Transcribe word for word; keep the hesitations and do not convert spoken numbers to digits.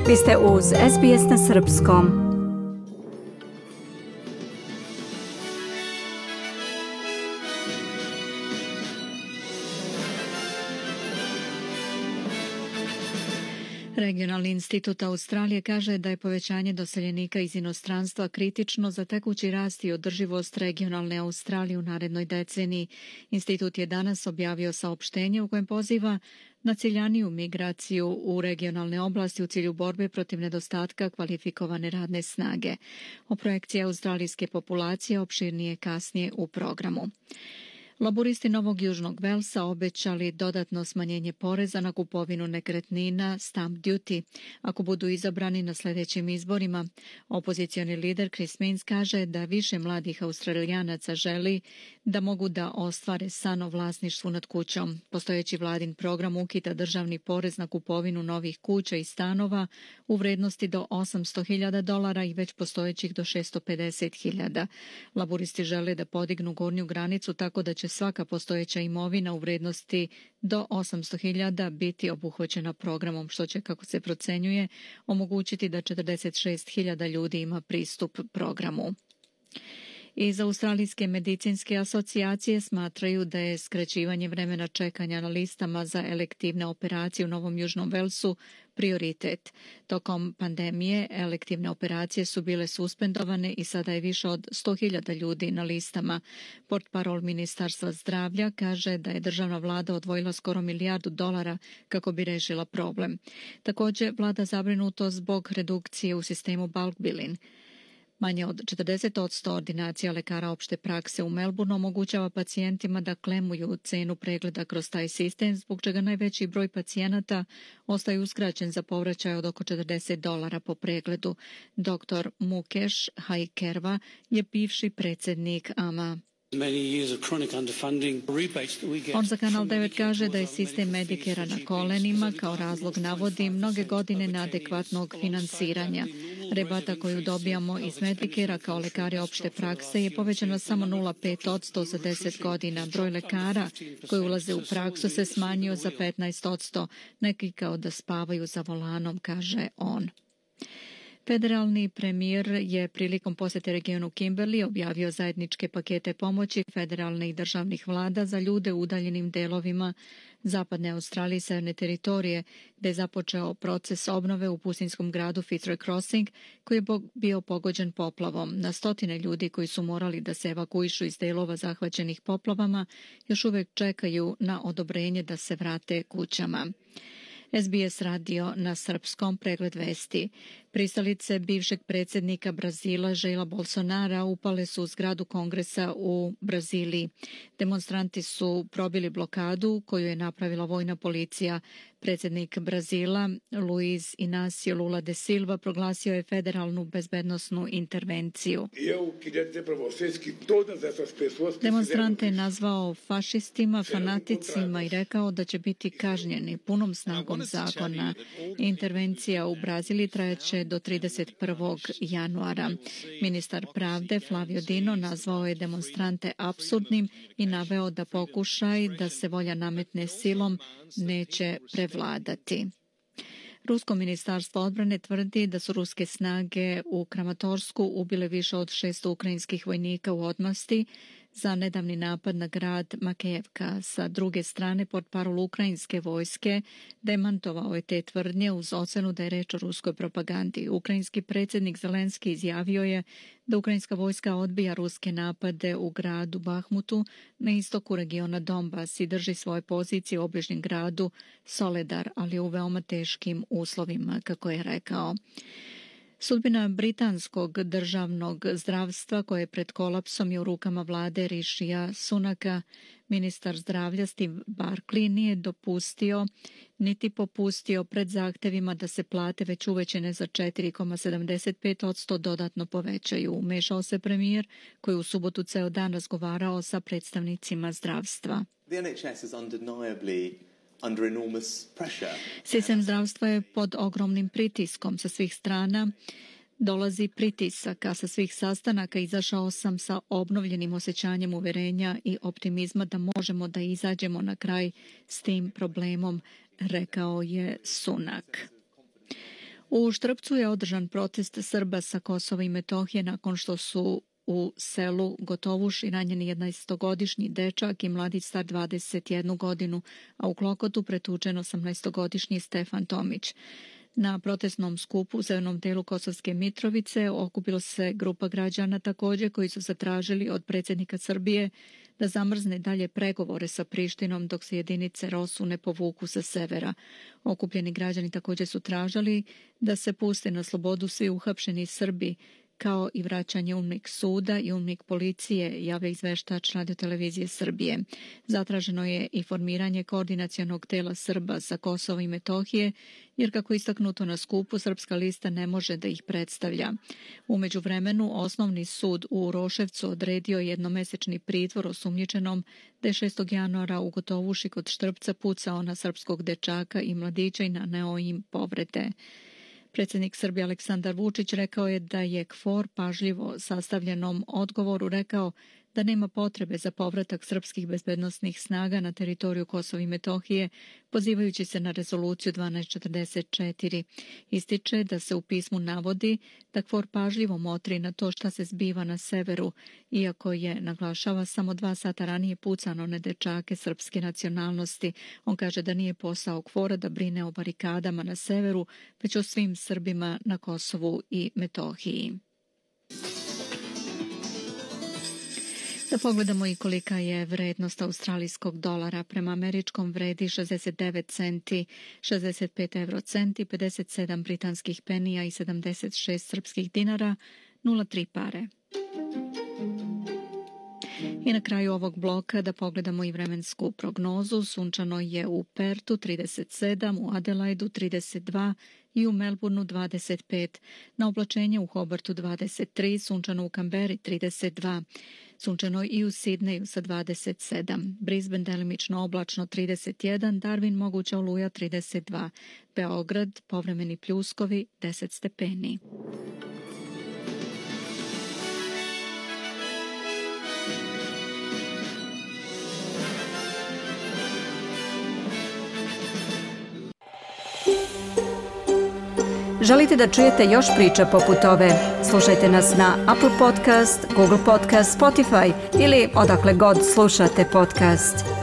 Vi ste uz S B S na srpskom. Regionalni institut Australije kaže da je povećanje doseljenika iz inostranstva kritično za tekući rast i održivost regionalne Australije u narednoj deceniji. Institut je danas objavio saopštenje u kojem poziva na ciljaniju migraciju u regionalne oblasti u cilju borbe protiv nedostatka kvalifikovane radne snage. O projekciji australijske populacije opširnije kasnije u programu. Laburisti Novog Južnog Velsa obećali dodatno smanjenje poreza na kupovinu nekretnina stamp duty ako budu izabrani na sljedećim izborima. Opozicioni lider Chris Minns kaže da više mladih Australijanaca želi da mogu da ostvare san o vlasništvu nad kućom. Postojeći vladin program ukida državni porez na kupovinu novih kuća i stanova u vrednosti do osamsto hiljada dolara i već postojećih do šesto pedeset hiljada. Laburisti žele da podignu gornju granicu tako da će svaka postojeća imovina u vrednosti do osamsto hiljada biti obuhvaćena programom, što će, kako se procenjuje, omogućiti da četrdeset šest hiljada ljudi ima pristup programu. Iz Australijske medicinske asocijacije smatraju da je skraćivanje vremena čekanja na listama za elektivne operacije u Novom Južnom Velsu prioritet. Tokom pandemije elektivne operacije su bile suspendovane i sada je više od sto hiljada ljudi na listama. Portparol Ministarstva zdravlja kaže da je državna vlada odvojila skoro milijardu dolara kako bi rešila problem. Također, vlada zabrinuto zbog redukcije u sistemu bulk billing. Manje od četrdeset posto ordinacija lekara opšte prakse u Melbourneu omogućava pacijentima da klemuju cenu pregleda kroz taj sistem, zbog čega najveći broj pacijenata ostaje uskraćen za povraćaj od oko četrdeset dolara po pregledu. doktor Mukesh Haikerva je bivši predsjednik A M A. On za Kanal devet kaže da je sistem Medicare na kolenima, kao razlog navodi mnoge godine neadekvatnog finansiranja. Rebata koju dobijamo iz Medicare kao lekari opšte prakse je povećana samo nula zarez pet posto za deset godina. Broj lekara koji ulaze u praksu se smanjio za petnaest posto, neki kao da spavaju za volanom, kaže on. Federalni premijer je prilikom posjete regionu Kimberley objavio zajedničke pakete pomoći federalne i državnih vlada za ljude u udaljenim delovima zapadne Australije i severne teritorije, gdje je započeo proces obnove u pustinskom gradu Fitzroy Crossing, koji je bio pogođen poplavom. Na stotine ljudi koji su morali da se evakuišu iz delova zahvaćenih poplavama još uvijek čekaju na odobrenje da se vrate kućama. S B S radio na srpskom, pregled vesti. Pristalice bivšeg predsjednika Brazila Jaira Bolsonara upale su u zgradu kongresa u Braziliji. Demonstranti su probili blokadu koju je napravila vojna policija. Predsjednik Brazila Luiz Inácio Lula da Silva proglasio je federalnu bezbednosnu intervenciju. Demonstrante je nazvao fašistima, fanaticima i rekao da će biti kažnjeni punom snagom zakona. Intervencija u Braziliji trajaće do trideset prvog januara. Ministar pravde Flavio Dino nazvao je demonstrante apsurdnim i naveo da pokušaj da se volja nametne silom neće prevladati. Rusko ministarstvo odbrane tvrdi da su ruske snage u Kramatorsku ubile više od šesto ukrajinskih vojnika u odmasti za nedavni napad na grad Makejevka. Sa druge strane, portparol ukrajinske vojske demantovao je te tvrdnje uz ocenu da je reč o ruskoj propagandi. Ukrajinski predsjednik Zelenski izjavio je da ukrajinska vojska odbija ruske napade u gradu Bahmutu na istoku regiona Donbas i drži svoje pozicije u obližnjem gradu Soledar, ali u veoma teškim uslovima, kako je rekao. Sudbina britanskog državnog zdravstva koje je pred kolapsom je u rukama vlade Rishija Sunaka. Ministar zdravlja Steve Barclay nije dopustio niti popustio pred zahtevima da se plate već uvećane za četiri zarez sedamdeset pet posto dodatno povećaju. Umešao se premijer koji je u subotu ceo dan razgovarao sa predstavnicima zdravstva. The N H S is undeniably under enormous pressure. Sistem zdravstva je pod ogromnim pritiskom sa svih strana. Dolazi pritisak, a sa svih sastanaka izašao sam sa obnovljenim osjećanjem uverenja i optimizma da možemo da izađemo na kraj s tim problemom, rekao je Sunak. U Štrpcu je održan protest Srba sa Kosova i Metohije nakon što su u selu Gotovuši ranjeni jednaestogodišnji dečak i mladić star dvadeset jednu godinu, a u Klokotu pretučen osamnaestogodišnji Stefan Tomić. Na protestnom skupu u severnom delu Kosovske Mitrovice okupila se grupa građana također koji su zatražili od predsjednika Srbije da zamrzne dalje pregovore sa Prištinom dok se jedinice Rosu ne povuku sa severa. Okupljeni građani također su tražili da se puste na slobodu svi uhapšeni Srbi, kao i vraćanje umnik suda i umnik policije, javlja izveštač Radiotelevizije Srbije. Zatraženo je i formiranje koordinacionog tela Srba sa Kosova i Metohije, jer kako istaknuto na skupu, Srpska lista ne može da ih predstavlja. U međuvremenu, Osnovni sud u Uroševcu odredio jednomesečni pritvor osumnjičenom da je šestog januara u Gotovuši kod Štrpca pucao na srpskog dečaka i mladića i naneo im povrede. Predsjednik Srbije Aleksandar Vučić rekao je da je K F O R pažljivo sastavljenom odgovoru rekao da nema potrebe za povratak srpskih bezbednosnih snaga na teritoriju Kosova i Metohije, pozivajući se na rezoluciju dvanaest četrdeset četiri. Ističe da se u pismu navodi da K F O R pažljivo motri na to šta se zbiva na severu, iako je, naglašava, samo dva sata ranije pucano na dečake srpske nacionalnosti. On kaže da nije posao K F O R-a da brine o barikadama na severu, već o svim Srbima na Kosovu i Metohiji. Da pogledamo i kolika je vrednost australijskog dolara. Prema američkom vredi šezdeset devet centi, šezdeset pet eurocenti, pedeset sedam britanskih penija i sedamdeset šest srpskih dinara, nula zarez tri pare. I na kraju ovog bloka da pogledamo i vremensku prognozu. Sunčano je u Pertu trideset sedam, u Adelaidu trideset dva i u Melbourneu dvadeset pet. Na oblačenje u Hobartu dvadeset tri, sunčano u Kamberi trideset dva. Sunčano i u Sidneju sa dvadeset sedam. Brisbane delimično oblačno trideset jedan, Darwin moguća oluja trideset dva. Beograd povremeni pljuskovi deset stepeni. Želite da čujete još priča poput ove? Slušajte nas na Apple Podcast, Google Podcast, Spotify ili odakle god slušate podcast.